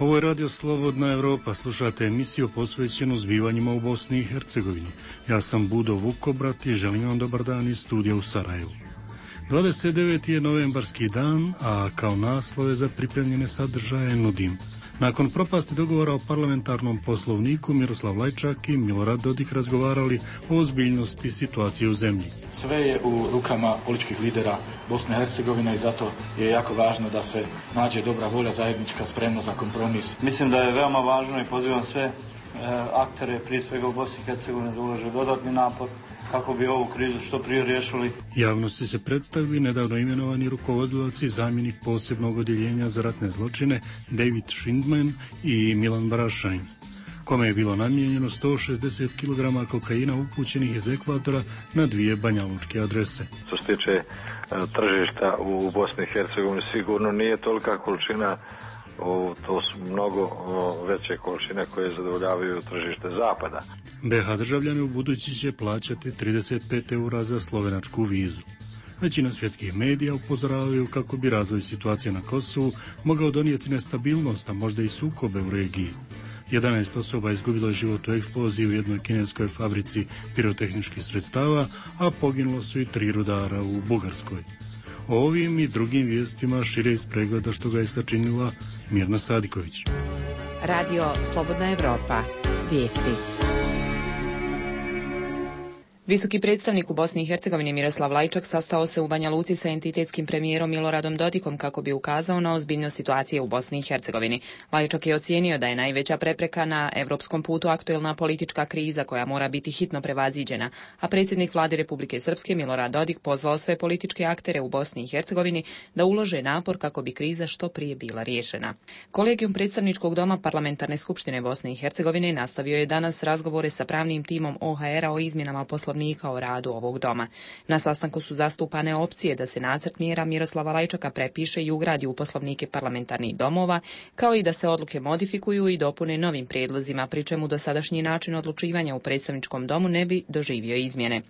Ovo je Radio Slobodna Evropa, slušate emisiju posvećenu zbivanjima u Bosni i Hercegovini. Ja sam Budo Vukobrat i želim vam dobar dan iz studija u Sarajevu. 29. je novembarski dan, a kao naslove za pripremljene sadržaje nudim. Nakon propasti dogovora o parlamentarnom poslovniku, Miroslav Lajčak i Milorad Dodik razgovarali o ozbiljnosti situacije u zemlji. Sve je u rukama političkih lidera Bosne i Hercegovine i zato je jako važno da se nađe dobra volja zajednička, spremna za kompromis. Mislim da je veoma važno i pozivam sve aktere, prije svega u Bosni i Hercegovini, da ulože dodatni napor kako bi ovu krizu što prije riješili. Javnosti se predstavili nedavno imenovani rukovodilac i zamjenik posebnog odjeljenja za ratne zločine David Schindman i Milan Barašajn, kome je bilo namijenjeno 160 kg kokaina upućenih iz Ekvadora na 2 banjalučke adrese. Što se tiče tržišta u Bosni i Hercegovini, sigurno nije tolika količina, to su mnogo veće količine koje zadovoljavaju tržište zapada. BiH državljani u budući će plaćati 35 eura za slovenačku vizu. Većina svjetskih medija upozoravaju kako bi razvoj situacije na Kosovu mogao donijeti nestabilnost, a možda i sukobe u regiji. 11 osoba izgubilo život u eksploziji u jednoj kineskoj fabrici pirotehničkih sredstava, a poginulo su i 3 rudara u Bugarskoj. O ovim i drugim vijestima šire iz pregleda što ga je sačinila Mirna Sadiković. Radio Slobodna Evropa. Vijesti. Visoki predstavnik u Bosni i Hercegovini Miroslav Lajčak sastao se u Banja Luci sa entitetskim premijerom Miloradom Dodikom kako bi ukazao na ozbiljnost situacije u Bosni i Hercegovini. Lajčak je ocijenio da je najveća prepreka na evropskom putu aktuelna politička kriza koja mora biti hitno prevaziđena, a predsjednik vlade Republike Srpske Milorad Dodik pozvao sve političke aktere u Bosni i Hercegovini da ulože napor kako bi kriza što prije bila riješena. Kolegijum predstavničkog doma Parlamentarne skupštine Bosne i Hercegovine nastavio je danas razgovore sa pravnim timom OHR-a o izmjenama poslovnika o radu ovog doma. Na sastanku su zastupane opcije da se nacrt mjera Miroslava Lajčaka prepiše i ugradi u poslovnike parlamentarnih domova, kao i da se odluke modifikuju i dopune novim prijedlozima, pri čemu dosadašnji način odlučivanja u predstavničkom domu ne bi doživio izmjene.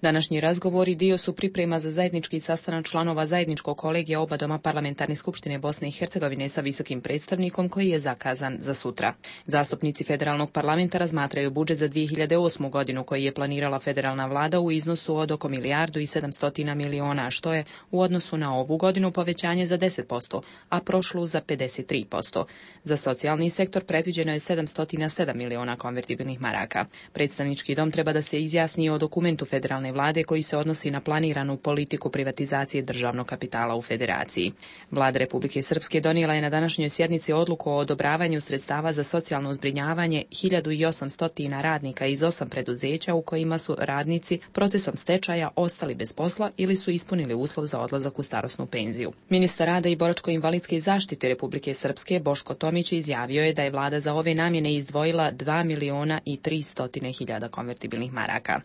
Današnji razgovori dio su priprema za zajednički sastanak članova zajedničkog kolegija oba doma Parlamentarne skupštine Bosne i Hercegovine sa visokim predstavnikom koji je zakazan za sutra. Zastupnici federalnog parlamenta razmatraju budžet za 2008. godinu koji je planirala federalna vlada u iznosu od oko 1,7 milijardi, što je u odnosu na ovu godinu povećanje za 10%, a prošlu za 53%. Za socijalni sektor predviđeno je 707 miliona konvertibilnih maraka. Predstavnički dom treba da se izjasni o dokumentu federalne vlade koji se odnosi na planiranu politiku privatizacije državnog kapitala u federaciji. Vlada Republike Srpske donijela je na današnjoj sjednici odluku o odobravanju sredstava za socijalno zbrinjavanje 1800 radnika iz 8 preduzeća u kojima su radnici procesom stečaja ostali bez posla ili su ispunili uslov za odlazak u starosnu penziju. Ministar rada i boračko-invalidske zaštite Republike Srpske Boško Tomić izjavio je da je vlada za ove namjene izdvojila 2.300.000 konvertibilnih maraka.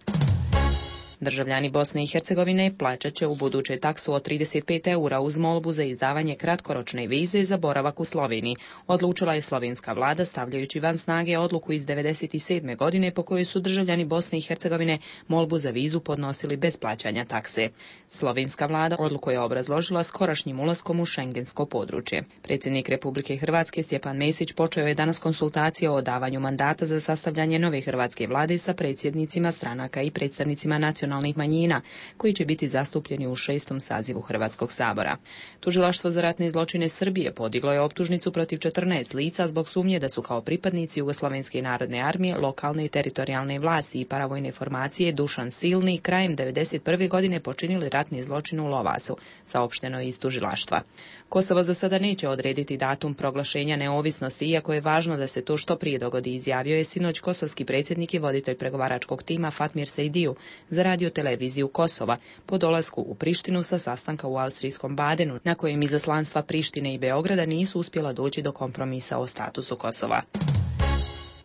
Državljani Bosne i Hercegovine plaćat će u buduće taksu od 35 eura uz molbu za izdavanje kratkoročne vize za boravak u Sloveniji. Odlučila je slovenska vlada stavljajući van snage odluku iz 1997. godine po kojoj su državljani Bosne i Hercegovine molbu za vizu podnosili bez plaćanja takse. Slovenska vlada odluku je obrazložila skorašnjim ulaskom u šengensko područje. Predsjednik Republike Hrvatske Stjepan Mesić počeo je danas konsultacije o davanju mandata za sastavljanje nove hrvatske vlade sa predsjednicima stranaka i predstavnicima nacionalnih manjina, koji će biti zastupljeni u 6. sazivu Hrvatskog sabora. Tužilaštvo za ratne zločine Srbije podiglo je optužnicu protiv 14 lica zbog sumnje da su kao pripadnici Jugoslovenske narodne armije, lokalne i teritorijalne vlasti i paravojne formacije Dušan Silni krajem 1991. godine počinili ratni zločin u Lovasu, saopšteno je iz tužilaštva. Kosovo za sada neće odrediti datum proglašenja neovisnosti, iako je važno da se to što prije dogodi, izjavio je sinoć kosovski predsjednik i voditelj pregovaračkog tima Fatmir Sejdiju za radioteleviziju Kosova po dolasku u Prištinu sa sastanka u austrijskom Badenu, na kojem izaslanstva Prištine i Beograda nisu uspjela doći do kompromisa o statusu Kosova.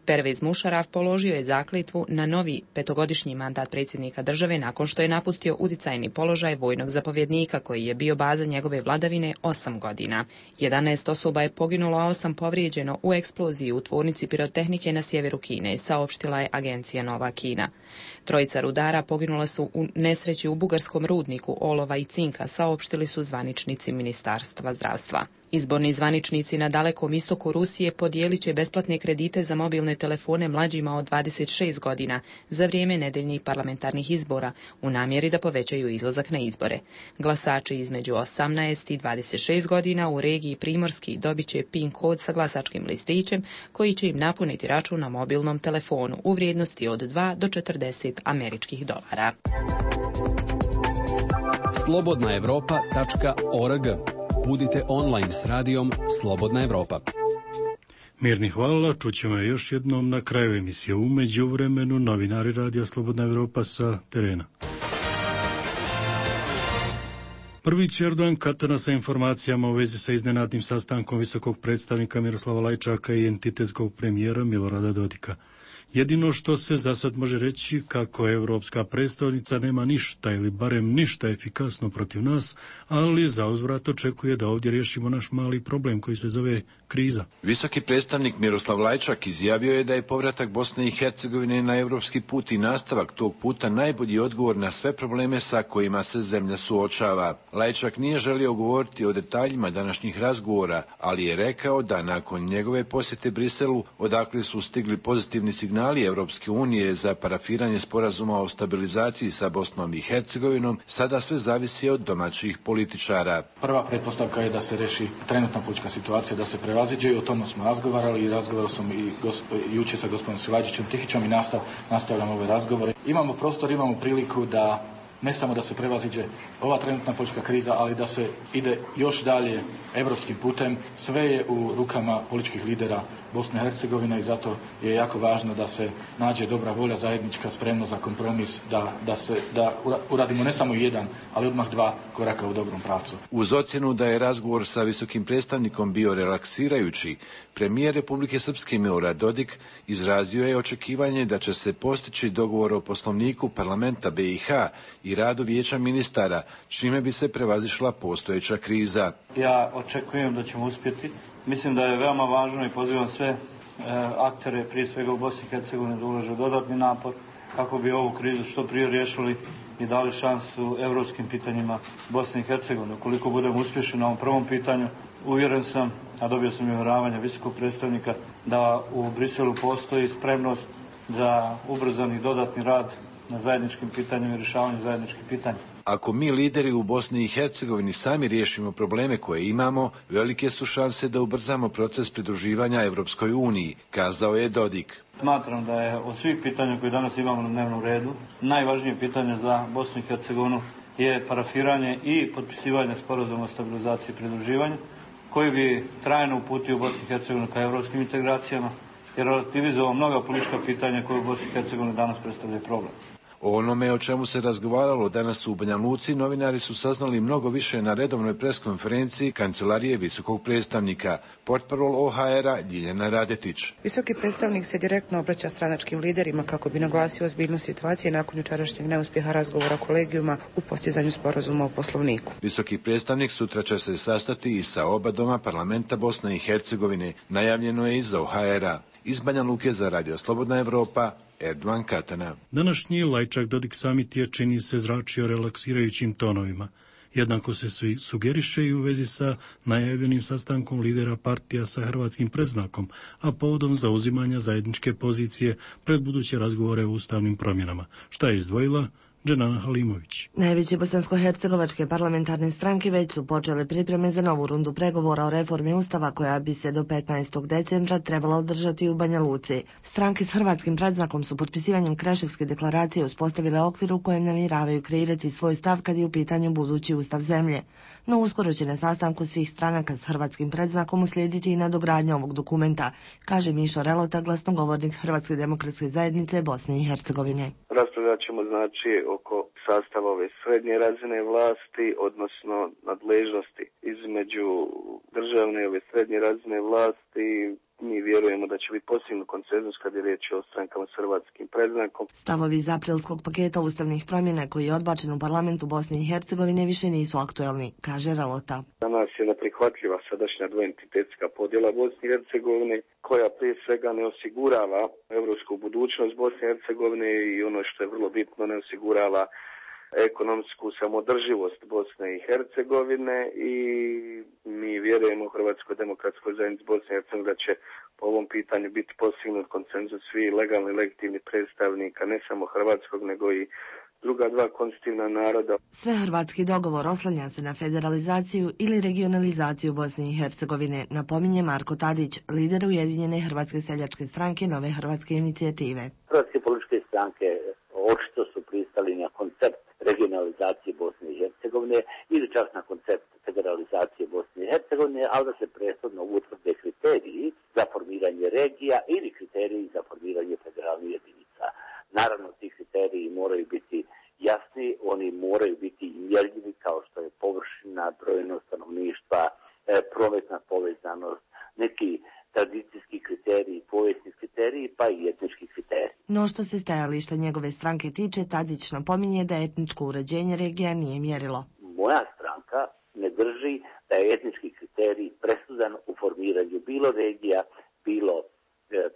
Pervez Mušaraf položio je zakletvu na novi 5-godišnji mandat predsjednika države nakon što je napustio uticajni položaj vojnog zapovjednika koji je bio baza njegove vladavine 8 godina. 11 osoba je poginulo, a 8 povrijeđeno u eksploziji u tvornici pirotehnike na sjeveru Kine, saopštila je agencija Nova Kina. 3 rudara poginula su u nesreći u bugarskom rudniku olova i cinka, saopštili su zvaničnici Ministarstva zdravstva. Izborni zvaničnici na dalekom istoku Rusije podijelit će besplatne kredite za mobilne telefone mlađima od 26 godina za vrijeme nedeljnih parlamentarnih izbora u namjeri da povećaju izlazak na izbore. Glasači između 18 i 26 godina u regiji Primorski dobit će PIN kod sa glasačkim listićem koji će im napuniti račun na mobilnom telefonu u vrijednosti od 2 do 40 američkih dolara. slobodnaevropa.org. Budite online s radijom Slobodna Evropa. Mirni hvala, čućemo je još jednom na kraju emisije. U međuvremenu novinari radija Slobodna Evropa sa terena. Prvić Erdogan katana sa informacijama u vezi sa iznenadnim sastankom visokog predstavnika Miroslava Lajčaka i entitetskog premijera Milorada Dodika. Jedino što se za sad može reći kako evropska predstavnica nema ništa ili barem ništa efikasno protiv nas, ali za uzvrat očekuje da ovdje riješimo naš mali problem koji se zove kriza. Visoki predstavnik Miroslav Lajčak izjavio je da je povratak Bosne i Hercegovine na evropski put i nastavak tog puta najbolji odgovor na sve probleme sa kojima se zemlja suočava. Lajčak nije želio govoriti o detaljima današnjih razgovora, ali je rekao da nakon njegove posjete Briselu, odakle su stigli pozitivni signali Evropske unije za parafiranje sporazuma o stabilizaciji sa Bosnom i Hercegovinom, sada sve zavisi od domaćih političara. Prva pretpostavka je da se reši trenutna politička situacija, da se prevaziđe, i o tome smo razgovarali i razgovarao sam i jučer sa gospodinom Silađićem Tihićom i nastavljamo ove razgovore. Imamo prostor, imamo priliku da ne samo da se prevaziđe ova trenutna politička kriza, ali da se ide još dalje evropskim putem. Sve je u rukama političkih lidera Bosne i Hercegovine i zato je jako važno da se nađe dobra volja zajednička, spremnost za kompromis, da uradimo ne samo jedan, ali odmah dva koraka u dobrom pravcu. Uz ocjenu da je razgovor sa visokim predstavnikom bio relaksirajući, premijer Republike Srpske Milorad Dodik izrazio je očekivanje da će se postići dogovor o poslovniku parlamenta BiH i radu vijeća ministara, čime bi se prevazišla postojeća kriza. Ja očekujem da ćemo uspjeti. Mislim da je veoma važno i pozivam sve aktere, prije svega u Bosni i Hercegovini, da ulože dodatni napor kako bi ovu krizu što prije riješili i dali šansu evropskim pitanjima Bosne i Hercegovine. Ukoliko budemo uspješni na ovom prvom pitanju, uvjeren sam, a dobio sam i uvjeravanja visokog predstavnika, da u Briselu postoji spremnost za ubrzani dodatni rad na zajedničkim pitanjima i rješavanju zajedničkih pitanja. Ako mi lideri u Bosni i Hercegovini sami riješimo probleme koje imamo, velike su šanse da ubrzamo proces pridruživanja Evropskoj uniji, kazao je Dodik. Smatram da je od svih pitanja koje danas imamo na dnevnom redu, najvažnije pitanje za Bosnu i Hercegovinu je parafiranje i potpisivanje sporazuma o stabilizaciji i pridruživanju, koji bi trajno uputio Bosnu i Hercegovinu ka evropskim integracijama i relativizovao mnoga politička pitanja koje u Bosni i Hercegovini danas predstavljaju problem. O onome o čemu se razgovaralo danas u Banja Luci, novinari su saznali mnogo više na redovnoj preskonferenciji Kancelarije visokog predstavnika. Portparol OHR-a Ljiljana Radetić. Visoki predstavnik se direktno obraća stranačkim liderima kako bi naglasio ozbiljnost situacije nakon jučerašnjeg neuspjeha razgovora kolegijuma u postizanju sporazuma o poslovniku. Visoki predstavnik sutra će se sastati i sa oba doma parlamenta Bosne i Hercegovine. Najavljeno je iz OHR-a. Iz Banja Luke za Radio Slobodna Evropa, Erdogan Katana. Današnji Lajčak Dodik samit je, čini se, zračio relaksirajućim tonovima. Jednako se sugeriše i u vezi sa najavljenim sastankom lidera partija sa hrvatskim predznakom, a povodom zauzimanja zajedničke pozicije pred buduće razgovore o ustavnim promjenama. Šta je izdvojila Dženana Halimović. Najveće bosansko-hercegovačke parlamentarne stranke već su počele pripreme za novu rundu pregovora o reformi Ustava koja bi se do 15. decembra trebala održati u Banja Luci. Stranke s hrvatskim predznakom su potpisivanjem Kreševske deklaracije uspostavile okvir u kojem namjeravaju kreirati svoj stav kad je u pitanju budući ustav zemlje. No uskoro će na sastanku svih stranaka s hrvatskim predznakom uslijediti i nadogradnja ovog dokumenta, kaže Mišo Relota, glasnogovornik Hrvatske demokratske zajednice Bosne i Hercegovine. Raspravljat ćemo oko sastava ove srednje razine vlasti, odnosno nadležnosti između državne i ove srednje razine vlasti. Mi vjerujemo da će biti postignut konsenzus kad je riječ o strankama s hrvatskim predznakom. Stavovi iz aprilskog paketa ustavnih promjena koji je odbačen u parlamentu Bosne i Hercegovine više nisu aktuelni, kaže Relota. Za nas je neprihvatljiva sadašnja dvoentitetska podjela Bosne i Hercegovine, koja prije svega ne osigurava evropsku budućnost Bosne i Hercegovine i ono što je vrlo bitno, ne osigurava ekonomsku samodrživost Bosne i Hercegovine i mi vjerujemo u Hrvatskoj demokratskoj zajednici Bosne i Hercegovine da će po ovom pitanju biti postignut konsenzus svih legalni legitimnih predstavnika ne samo hrvatskog nego i druga dva konstitutivna naroda. Svehrvatski dogovor oslanja se na federalizaciju ili regionalizaciju Bosne i Hercegovine, napominje Marko Tadić, lider Ujedinjene hrvatske seljačke stranke Nove hrvatske inicijative. Hrvatske političke stranke očito su pristali na koncept regionalizacije Bosne i Hercegovine ili čak na koncept federalizacije Bosne i Hercegovine, ali da se prethodno utvrde kriteriji za formiranje regija ili kriteriji za formiranje federalnih jedinica. Naravno, ti kriteriji moraju biti jasni, oni moraju biti mjerljivi kao što je površina, brojnost stanovništva, prometna povezanost, neki tradicijski kriteriji, povijesni kriteriji, pa i etnički kriteriji. No što se stajališta njegove stranke tiče, Tadić napominje da etničko uređenje regija nije mjerilo. Moja stranka ne drži da je etnički kriterij presudan u formiranju bilo regija, bilo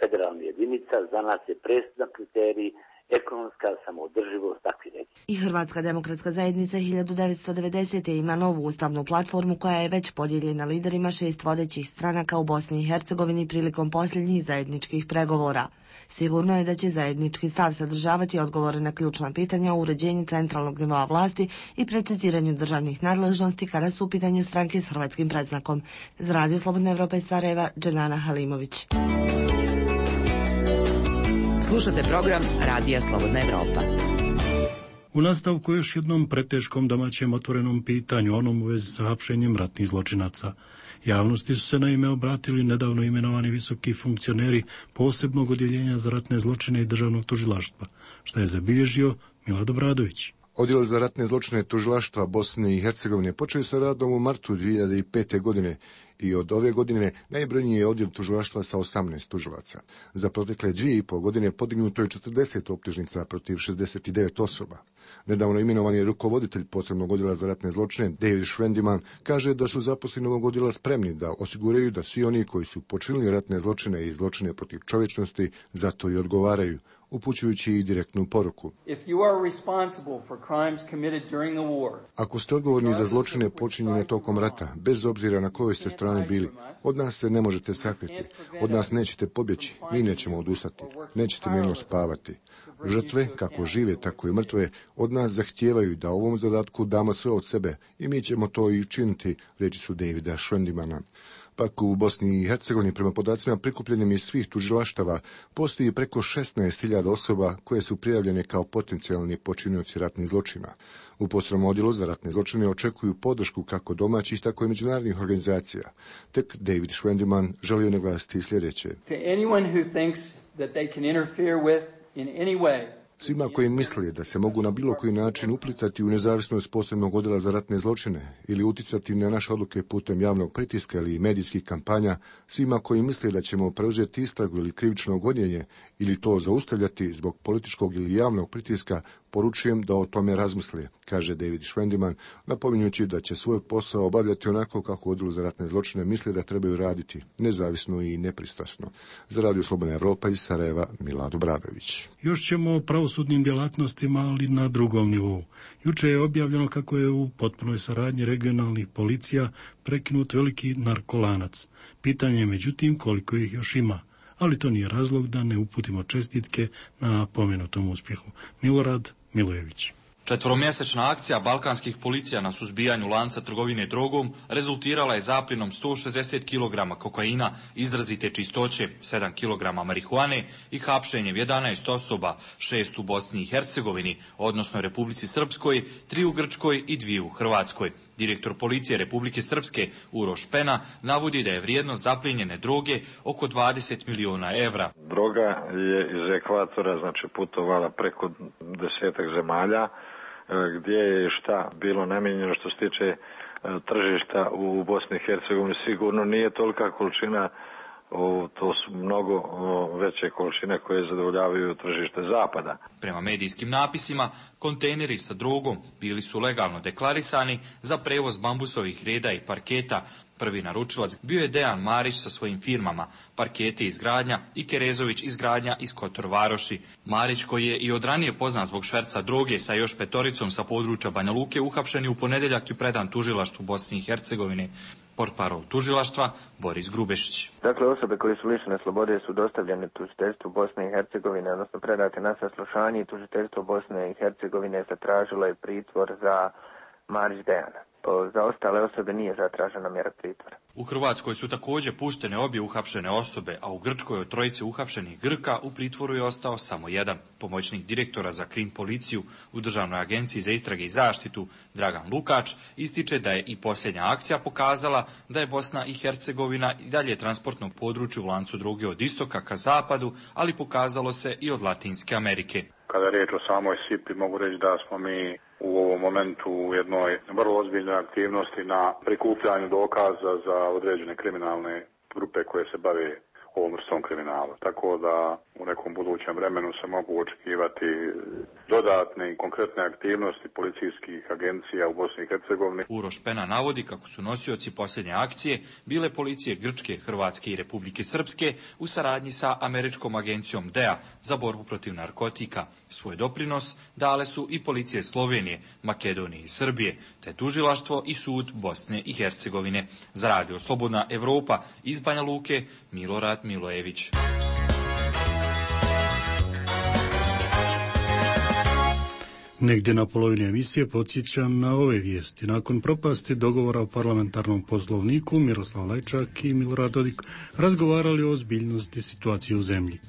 federalnih jedinica. Za nas je presudan kriterij ekonomska samoodrživost takvih regija. I Hrvatska demokratska zajednica 1990. ima novu ustavnu platformu koja je već podijeljena liderima 6 vodećih stranaka u Bosni i Hercegovini prilikom posljednjih zajedničkih pregovora. Sigurno je da će zajednički stav sadržavati odgovore na ključna pitanja o uređenju centralnog nivoa vlasti i preciziranju državnih nadležnosti kada su u pitanju stranke s hrvatskim predznakom. Za Radio Slobodna Evropa iz Sarajeva, Dženana Halimović. Slušate program Radija Slobodna Evropa. U nastavku još jednom preteškom domaćem otvorenom pitanju, onom u vezi sa hapšenjem ratnih zločinaca. Javnosti su se naime obratili nedavno imenovani visoki funkcioneri posebnog odjeljenja za ratne zločine i državnog tužilaštva, što je zabilježio Milad Obradović. Odjel za ratne zločine tužilaštva Bosne i Hercegovine počeo sa radom u martu 2005. godine i od ove godine najbrojniji je odjel tužilaštva sa 18 tužilaca. Za protekle 2,5 godine podignuto je 40 optužnica protiv 69 osoba. Nedavno imenovani rukovoditelj posebnog odjela za ratne zločine David Schwendiman kaže da su zaposleni ovog odjela spremni da osiguraju da svi oni koji su počinili ratne zločine i zločine protiv čovječnosti za to i odgovaraju, upućujući i direktnu poruku. Ako ste odgovorni za zločine počinjene tokom rata, bez obzira na kojoj ste strani bili, od nas se ne možete sakriti, od nas nećete pobjeći, mi nećemo odustati, nećete mirno spavati. Žrtve, kako žive, tako i mrtve, od nas zahtijevaju da ovom zadatku damo sve od sebe i mi ćemo to i učiniti, reči su Davida Schwendimana. Pak u Bosni i Hercegovini, prema podacima prikupljenim iz svih tužilaštava, postoji preko 16.000 osoba koje su prijavljene kao potencijalni počinioci ratnih zločina. U posebnom odjelu za ratne zločine očekuju podršku kako domaćih, tako i međunarodnih organizacija. Tek David Schwendiman želio naglasiti sljedeće. Svima koji misle da se mogu na bilo koji način uplitati u nezavisnost posebnog odjela za ratne zločine ili uticati na naše odluke putem javnog pritiska ili medijskih kampanja, svima koji misle da ćemo preuzeti istragu ili krivično gonjenje ili to zaustavljati zbog političkog ili javnog pritiska, poručujem da o tome razmisle, kaže David Schwendiman, napominjući da će svoj posao obavljati onako kako odjel za ratne zločine misle da trebaju raditi, nezavisno i nepristrasno. Za Radio Slobodna Evropa iz Sarajeva, Milad Obradović. Još ćemo o pravosudnim djelatnostima, ali na drugom nivou. Juče je objavljeno kako je u potpunoj saradnji regionalnih policija prekinut veliki narkolanac. Pitanje je međutim koliko ih još ima, ali to nije razlog da ne uputimo čestitke na pomenutom uspjehu. Milorad Milojević. 4-mjesečna akcija balkanskih policija na suzbijanju lanca trgovine drogom rezultirala je zapljenom 160 kg kokaina izrazite čistoće, 7 kg marihuane i hapšenjem 11 osoba, 6 u Bosni i Hercegovini, odnosno Republici Srpskoj, 3 u Grčkoj i 2 u Hrvatskoj. Direktor policije Republike Srpske Uroš Pena navodi da je vrijednost zapljenjene droge oko 20 miliona evra. Droga je iz ekvatora, znači putovala preko 10 zemalja, gdje je šta bilo namijenjeno što se tiče tržišta u Bosni i Hercegovini. Sigurno nije tolika količina to su mnogo veće količine koje zadovoljavaju tržište zapada. Prema medijskim napisima, kontejneri sa drogom bili su legalno deklarisani za prevoz bambusovih reda i parketa. Prvi naručilac bio je Dejan Marić sa svojim firmama Parketi izgradnja i Kerezović izgradnja iz Kotor Varoši. Marić, koji je i od ranije poznat zbog šverca droge sa još 5 sa područja Banja Luke, uhapšen je u ponedjeljak i predan tužilaštvu Bosne i Hercegovine. Portparol tužilaštva Boris Grubešić. Dakle, osobe koje su lišene slobode su dostavljene tužiteljstvu Bosne i Hercegovine, odnosno predate na saslušanje i tužiteljstvo Bosne i Hercegovine zatražilo je pritvor za Marić Dejana. Za ostale osobe nije zatražena mjera pritvora. U Hrvatskoj su također puštene obje uhapšene osobe, a u Grčkoj od trojice uhapšenih Grka u pritvoru je ostao samo jedan. Pomoćnik direktora za krim policiju u Državnoj agenciji za istrage i zaštitu Dragan Lukač ističe da je i posljednja akcija pokazala da je Bosna i Hercegovina i dalje transportnog područja u lancu droge od istoka ka zapadu, ali pokazalo se i od Latinske Amerike. Kada je riječ o samoj SIP-i, mogu reći da smo mi u ovom momentu u jednoj vrlo ozbiljnoj aktivnosti na prikupljanju dokaza za određene kriminalne grupe koje se bave ovom vrstom kriminala. Tako da u nekom budućem vremenu se mogu očekivati dodatne i konkretne aktivnosti policijskih agencija u Bosni i Hercegovini. Uroš Pena navodi kako su nosioci posljednje akcije bile policije Grčke, Hrvatske i Republike Srpske u saradnji sa američkom agencijom DEA za borbu protiv narkotika. Svoj doprinos dale su i policije Slovenije, Makedonije i Srbije, te tužilaštvo i sud Bosne i Hercegovine. Za Radio Slobodna Evropa iz Banja Luke, Milorad Milojević. Negdje na polovini emisije podsjećam na ove vijesti. Nakon propasti dogovora o parlamentarnom poslovniku, Miroslav Lajčak i Milorad Dodik razgovarali o ozbiljnosti situacije u zemlji.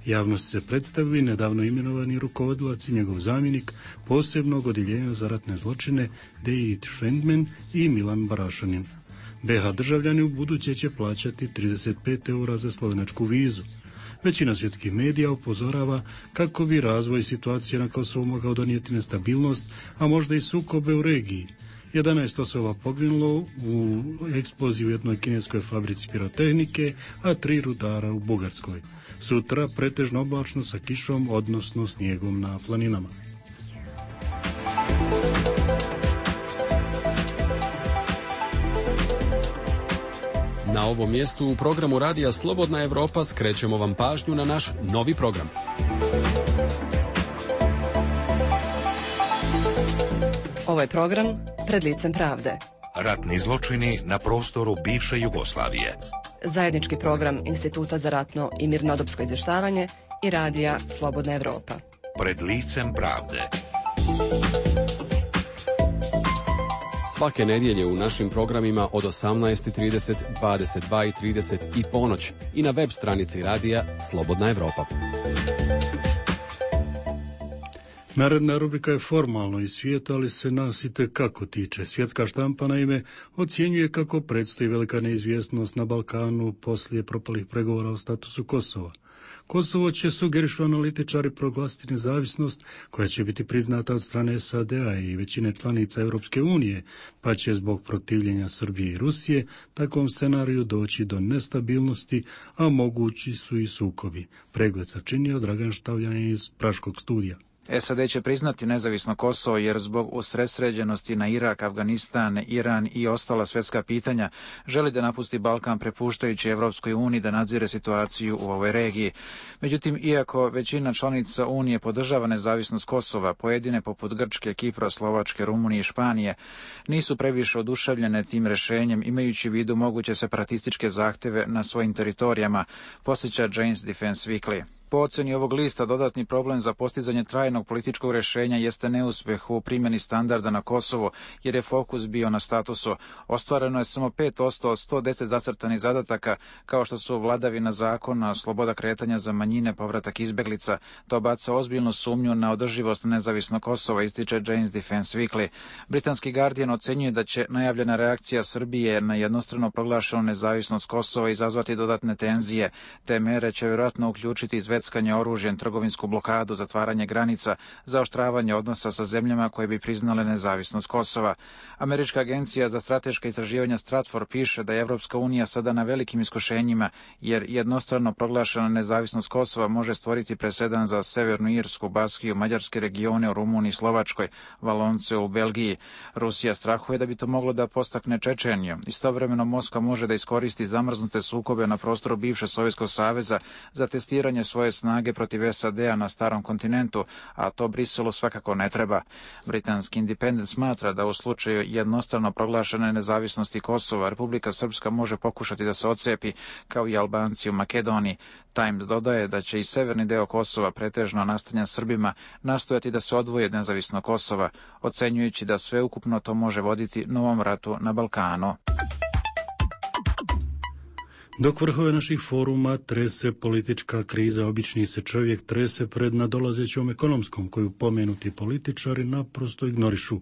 Javnosti se predstavili nedavno imenovani rukovodilac i njegov zamjenik posebnog odjeljenja za ratne zločine Dejit Šendmen i Milan Barašanin. BH državljani u buduće će plaćati 35 eura za slovenačku vizu. Većina svjetskih medija upozorava kako bi razvoj situacije na Kosovu mogao donijeti nestabilnost, a možda i sukobe u regiji. 11 osoba poginulo u eksploziji u jednoj kineskoj fabrici pirotehnike, a 3 rudara u Bugarskoj. Sutra pretežno oblačno sa kišom, odnosno snijegom na planinama. Na ovom mjestu u programu Radija Slobodna Evropa skrećemo vam pažnju na naš novi program. Ovo je program Pred licem pravde. Ratni zločini na prostoru bivše Jugoslavije. Zajednički program Instituta za ratno i mirnodopsko izvještavanje i Radija Slobodna Evropa. Pred licem pravde. Svake nedjelje u našim programima od 18:30, 22:30 i ponoć i na web stranici Radija Slobodna Evropa. Naredna rubrika je formalno iz svijeta, ali se nas i tekako tiče. Svjetska štampa naime ocjenjuje kako predstoji velika neizvjesnost na Balkanu poslije propalih pregovora o statusu Kosova. Kosovo će, sugerišu analitičari, proglasiti nezavisnost koja će biti priznata od strane SAD-a i većine članica Europske unije, pa će zbog protivljenja Srbije i Rusije takvom scenariju doći do nestabilnosti, a mogući su i sukobi. Pregled sačinio Dragan Štavljanin iz Praškog studija. SAD će priznati nezavisno Kosovo jer zbog usredsređenosti na Irak, Afganistan, Iran i ostala svjetska pitanja želi da napusti Balkan prepuštajući Evropskoj uniji da nadzire situaciju u ovoj regiji. Međutim, iako većina članica Unije podržava nezavisnost Kosova, pojedine poput Grčke, Kipra, Slovačke, Rumunije i Španije nisu previše oduševljene tim rješenjem imajući u vidu moguće separatističke zahtjeve na svojim teritorijama, podsjeća Jane's Defense Weekly. Po ocjeni ovog lista, dodatni problem za postizanje trajnog političkog rješenja jeste neuspjeh u primjeni standarda na Kosovo, jer je fokus bio na statusu. Ostvareno je samo 5% od 110 zacrtanih zadataka, kao što su vladavina zakona, sloboda kretanja za manjine, povratak izbjeglica. To baca ozbiljnu sumnju na održivost nezavisnog Kosova, ističe Jane's Defense Weekly. Britanski Guardian ocjenjuje da će najavljena reakcija Srbije na jednostrano proglašenu nezavisnost Kosova izazvati dodatne tenzije. Te mere će vjerojatno uključiti izvedbu preckanje oružjem, trgovinsku blokadu, zatvaranje granica, zaoštravanje odnosa sa zemljama koje bi priznale nezavisnost Kosova. Američka agencija za strateška istraživanja Stratfor piše da je Evropska unija sada na velikim iskušenjima, jer jednostrano proglašena nezavisnost Kosova može stvoriti presedan za Severnu Irsku, Baskiju, mađarske regione u Rumuniji, Slovačkoj, Valonce u Belgiji. Rusija strahuje da bi to moglo da postakne Čečeniju. Istovremeno Moskva može da iskoristi zamrznute sukobe na prostoru bivše Sovjetskog saveza za testiranje svoje snage protiv SAD-a na starom kontinentu, a to Briselu svakako ne treba. Britanski Independent smatra da u slučaju jednostrano proglašene nezavisnosti Kosova, Republika Srpska može pokušati da se odcepi, kao i Albanci u Makedoniji. Times dodaje da će i severni deo Kosova, pretežno nastanjen Srbima, nastojati da se odvoje od nezavisnog Kosova, ocenjujući da sveukupno to može voditi novom ratu na Balkanu. Dok vrhove naših foruma trese politička kriza, obični se čovjek trese pred nadolazećom ekonomskom, koju pomenuti političari naprosto ignorišu.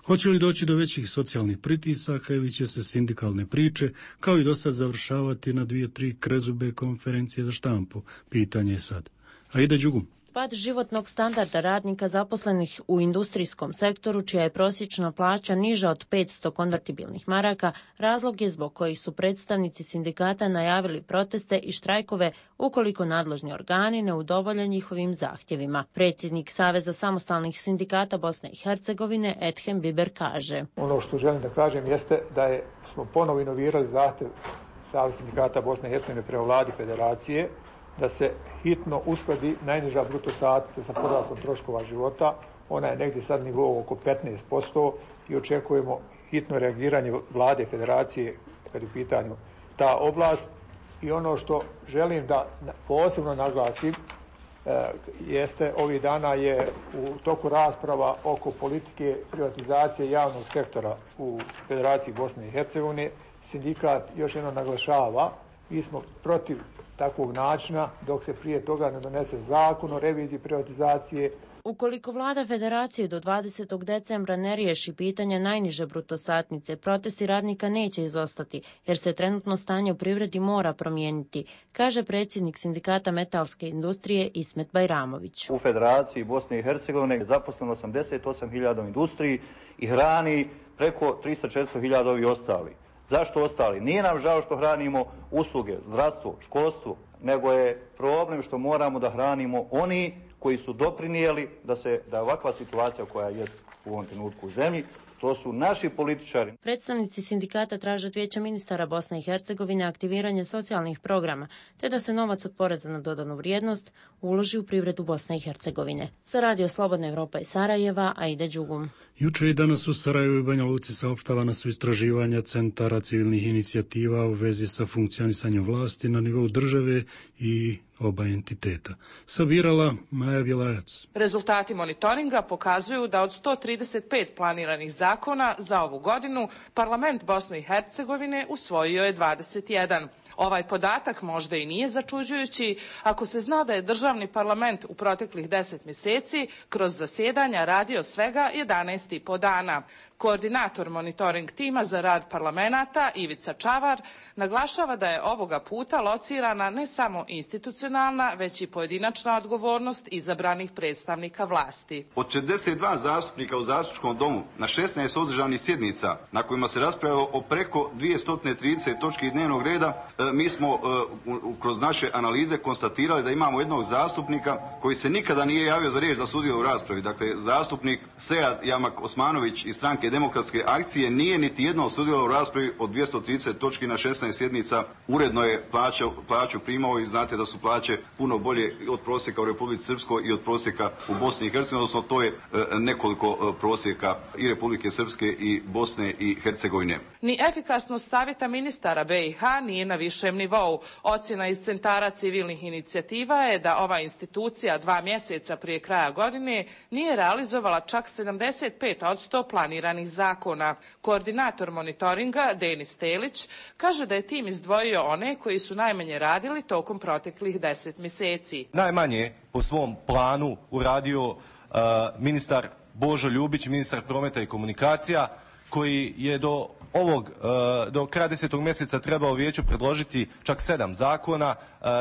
Hoće li doći do većih socijalnih pritisaka ili će se sindikalne priče, kao i do sad, završavati na 2-3 krezube konferencije za štampu? Pitanje je sad. A ide Đugum. Pad životnog standarda radnika zaposlenih u industrijskom sektoru, čija je prosječna plaća niža od 500 konvertibilnih maraka, razlog je zbog kojih su predstavnici sindikata najavili proteste i štrajkove ukoliko nadležni organi ne udovolje njihovim zahtjevima. Predsjednik Saveza samostalnih sindikata Bosne i Hercegovine Ethem Biber kaže: Ono što želim da kažem jeste da smo ponovo inovirali zahtjev Saveza sindikata Bosne i Hercegovine prema vladi federacije da se hitno uskladi najniža bruto satnica sa porastom troškova života. Ona je negdje sad nivou oko 15% i očekujemo hitno reagiranje vlade federacije kad je u pitanju ta oblast. I ono što želim da posebno naglasim jeste, ovih dana je u toku rasprava oko politike privatizacije javnog sektora u Federaciji Bosne i Hercegovine. Sindikat još jednom naglašava, mi smo protiv takvog načina dok se prije toga ne donese zakon o reviziji privatizacije. Ukoliko vlada federacije do 20. decembra ne riješi pitanje najniže bruto satnice, protesti radnika neće izostati, jer se trenutno stanje u privredi mora promijeniti, kaže predsjednik sindikata metalske industrije Ismet Bajramović. U Federaciji Bosne i Hercegovine je zaposleno 88.000 u industriji i hrani preko 300-400.000 ovi ostali. Zašto ostali? Nije nam žao što hranimo usluge, zdravstvo, školstvo, nego je problem što moramo da hranimo oni koji su doprinijeli da ovakva situacija koja je u ovom trenutku u zemlji, to su naši političari. Predstavnici sindikata traže od Vijeća ministara Bosne i Hercegovine aktiviranje socijalnih programa, te da se novac od poreza na dodanu vrijednost uloži u privredu Bosne i Hercegovine. Za Radio Slobodna Evropa iz Sarajeva, Aida Đugum. Juče i danas u Sarajevu i Banja Luci saopštavana su istraživanja centara civilnih inicijativa u vezi sa funkcionisanjem vlasti na nivou države i oba entiteta. Sabirala Maja Vilajac. Rezultati monitoringa pokazuju da od 135 planiranih zakona za ovu godinu Parlament Bosne i Hercegovine usvojio je 21. Ovaj podatak možda i nije začuđujući ako se zna da je državni parlament u proteklih 10 mjeseci kroz zasjedanja radio svega 11,5 dana. Koordinator monitoring tima za rad parlamenata Ivica Čavar naglašava da je ovoga puta locirana ne samo institucionalna, već i pojedinačna odgovornost izabranih predstavnika vlasti. Od 42 zastupnika u zastupničkom domu na 16 održanih sjednica na kojima se raspravljalo o preko 230 točki dnevnog reda, mi smo kroz naše analize konstatirali da imamo jednog zastupnika koji se nikada nije javio za riječ da sudjeluje u raspravi. Dakle, zastupnik Sead Jamak Osmanović iz Stranke demokratske akcije nije niti jednom sudjelovao u raspravi od 230 točki na 16 sjednica. Uredno je plaću primao i znate da su plaće puno bolje od prosjeka u Republici Srpskoj i od prosjeka u Bosni i Hercegovini, odnosno to je nekoliko prosjeka i Republike Srpske i Bosne i Hercegovine. Ni efikasnost savjeta ministara BiH nije na višem nivou. Ocjena iz centara civilnih inicijativa je da ova institucija 2 mjeseca prije kraja godine nije realizovala čak 75% planiranih zakona. Koordinator monitoringa Denis Telić kaže da je tim izdvojio one koji su najmanje radili tokom proteklih 10 mjeseci. Najmanje po svom planu uradio ministar Božo Ljubić, ministar prometa i komunikacija, koji je do do kraja 10. mjeseca trebao vijeću predložiti čak 7 zakona,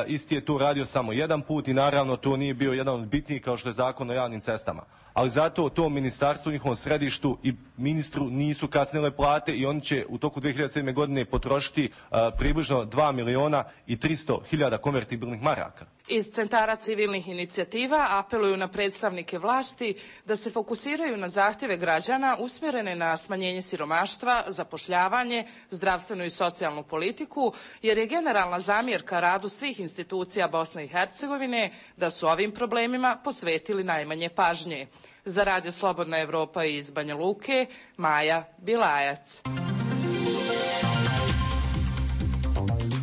isti je tu radio samo jedan put i naravno to nije bio jedan od bitnijih kao što je Zakon o javnim cestama. Ali zato to ministarstvu, njihovom središtu i ministru nisu kasnile plate i oni će u toku 2007. godine potrošiti približno 2.300.000 konvertibilnih maraka. Iz centara civilnih inicijativa apeluju na predstavnike vlasti da se fokusiraju na zahtjeve građana usmjerene na smanjenje siromaštva, zapošljavanje, zdravstvenu i socijalnu politiku, jer je generalna zamjerka radu svih institucija Bosne i Hercegovine da su ovim problemima posvetili najmanje pažnje. Za Radio Slobodna Evropa iz Banja Luke, Maja Bilajac.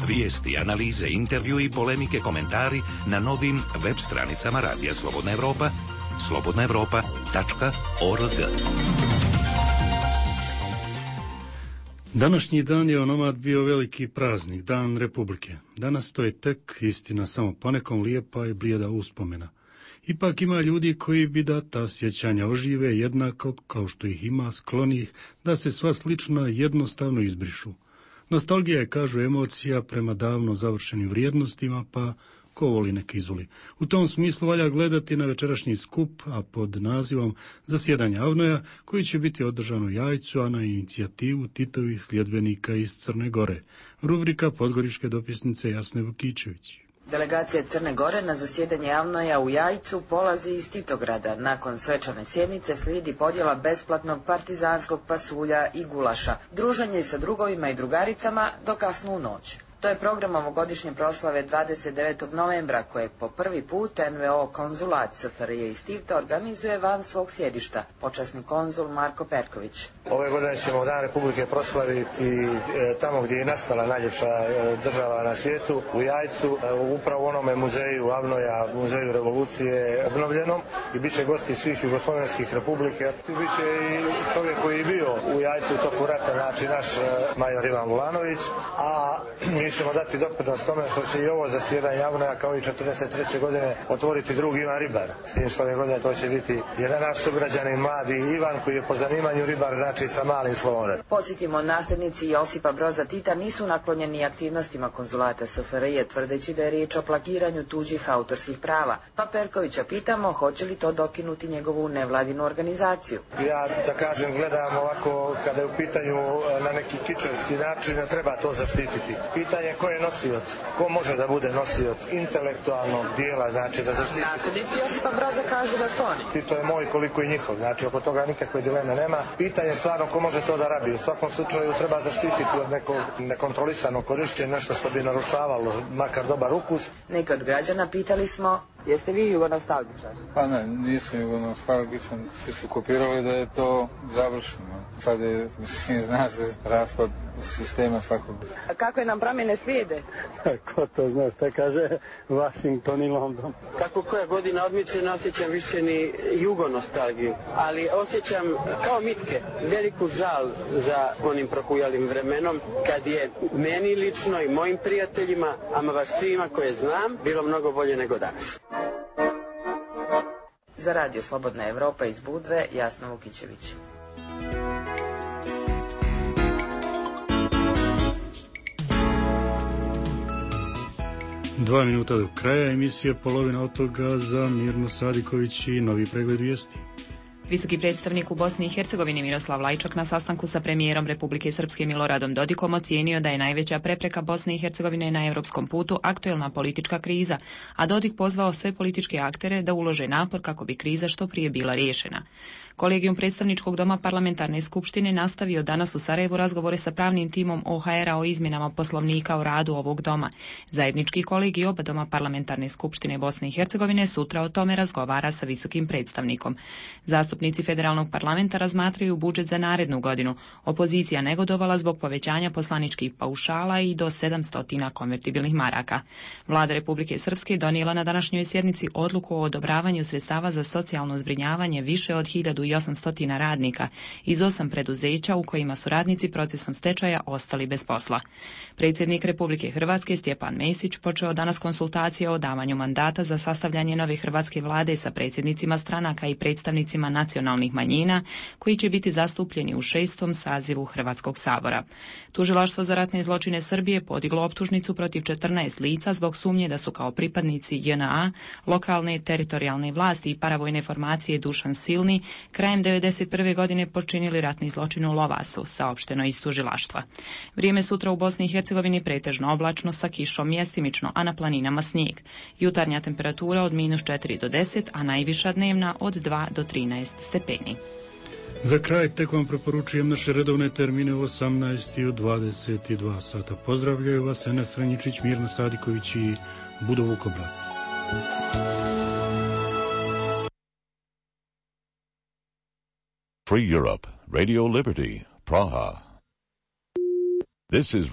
Vijesti, analize, intervju i polemike, komentari na novim web stranicama Radija Slobodna Evropa, slobodnaevropa.org. Današnji dan je onomad bio veliki praznik, Dan Republike. Danas to je tek, istina, samo ponekom lijepa i blijeda uspomena. Ipak ima ljudi koji bi da ta sjećanja ožive jednako kao što ih ima sklonih da se sva slična jednostavno izbrišu. Nostalgija je, kažu, emocija prema davno završenim vrijednostima, pa ko voli nek izvoli. U tom smislu valja gledati na večerašnji skup, a pod nazivom Zasjedanje Avnoja, koji će biti održan u Jajcu, a na inicijativu Titovih sljedbenika iz Crne Gore. Rubrika podgoričke dopisnice Jasne Vukičević. Delegacija Crne Gore na zasjedanje Avnoja u Jajcu polazi iz Titograda. Nakon svečane sjednice slijedi podjela besplatnog partizanskog pasulja i gulaša, druženje sa drugovima i drugaricama do kasnu noć. To je program ovogodišnje proslave 29. novembra, kojeg po prvi put NVO konzulat SFRJ iz Tivta organizuje van svog sjedišta, počasni konzul Marko Perković. Ove godine ćemo Dan Republike proslaviti tamo gdje je nastala najljepša država na svijetu, u Jajcu, upravo u onome muzeju Avnoja, muzeju revolucije obnovljenom, i bit će gosti svih jugoslovenskih republike. Bit će i čovjek koji je bio u Jajcu u toku rata, znači naš major Ivan Vulanović, a mi ćemo dati doprinos tome što će i ovo zasjedanje Avnoja kao i 43. godine otvoriti drug Ivan Ribar. S tim što ove godine to će biti jedan naš sugrađanin mladi Ivan koji je po zanimanju ribar, znači sa malim slovom. Podsjetimo, nasljednici Josipa Broza Tita nisu naklonjeni aktivnostima konzulata SFRJ, tvrdeći da je riječ o plagiranju tuđih autorskih prava. Pa Perkovića pitamo hoće li to dokinuti njegovu nevladinu organizaciju. Ja, da kažem, gledam ovako kada je u pitanju na neki kičevski način, treba to zaštititi. Pitanje ko je nosioc, ko može da bude nosioc intelektualnog dijela, znači da zaštiti. Nasljednici Josipa Broza kažu da su oni. I to je moj koliko i njihov, znači oko toga nikakve dileme nema. Pitanje je stvarno ko može to da rabi. U svakom slučaju treba zaštititi od nekog nekontrolisanog korišćenja, nešto što bi narušavalo makar dobar ukus. Neki od građana pitali smo, jeste vi jugonostalgičar? Pa ne, nisam jugonostalgičan, svi su kopirali da je to završeno. Sad je, zna se, raspad sistema svakog. A kakve nam promjene slijede? Ko to zna, šta kaže Washington i London. Kako koja godina odmiče, ne osjećam više ni jugonostalgiju, ali osjećam kao mitke veliku žal za onim prohujalim vremenom, kad je meni lično i mojim prijateljima, ama baš svima koje znam, bilo mnogo bolje nego danas. Za Radio Slobodna Evropa iz Budve, Jasna Vukičević. Dva minuta do kraja emisije, polovina od toga za Mirnu Sadiković i novi pregled vijesti. Visoki predstavnik u Bosni i Hercegovini Miroslav Lajčak na sastanku sa premijerom Republike Srpske Miloradom Dodikom ocijenio da je najveća prepreka Bosne i Hercegovine na europskom putu aktuelna politička kriza, a Dodik pozvao sve političke aktere da ulože napor kako bi kriza što prije bila riješena. Kolegijum predstavničkog doma parlamentarne skupštine nastavio danas u Sarajevu razgovore sa pravnim timom OHR-a o izmjenama poslovnika o radu ovog doma. Zajednički kolegij oba doma parlamentarne skupštine Bosne i Hercegovine sutra o tome razgovara sa visokim predstavnikom. Zastupnici federalnog parlamenta razmatraju budžet za narednu godinu. Opozicija negodovala zbog povećanja poslaničkih paušala i do 700 konvertibilnih maraka. Vlada Republike Srpske donijela na današnjoj sjednici odluku o odobravanju sredstava za socijalno zbrinjavanje više od 1800 radnika iz 8 preduzeća u kojima su radnici procesom stečaja ostali bez posla. Predsjednik Republike Hrvatske Stjepan Mesić počeo danas konsultacije o davanju mandata za sastavljanje nove hrvatske vlade sa predsjednicima stranaka i predstavnicima nacionalnih manjina koji će biti zastupljeni u 6. sazivu Hrvatskog sabora. Tužilaštvo za ratne zločine Srbije podiglo optužnicu protiv 14 lica zbog sumnje da su kao pripadnici JNA, lokalne teritorijalne vlasti i paravojne formacije Dušan Silni krajem 1991. godine počinili ratni zločin u Lovasu, saopšteno iz tužilaštva. Vrijeme sutra u Bosni i Hercegovini pretežno oblačno sa kišom mjestimično, a na planinama snijeg. Jutarnja temperatura od -4 do 10, a najviša dnevna od 2 do 13 stepeni. Za kraj tek vam preporučujem naše redovne termine u 18 i u 22 sata. Pozdravljaju vas Enes Ranjičić, Mirna Sadiković i Budo Vukobrat. Free Europe, Radio Liberty, Praha. This is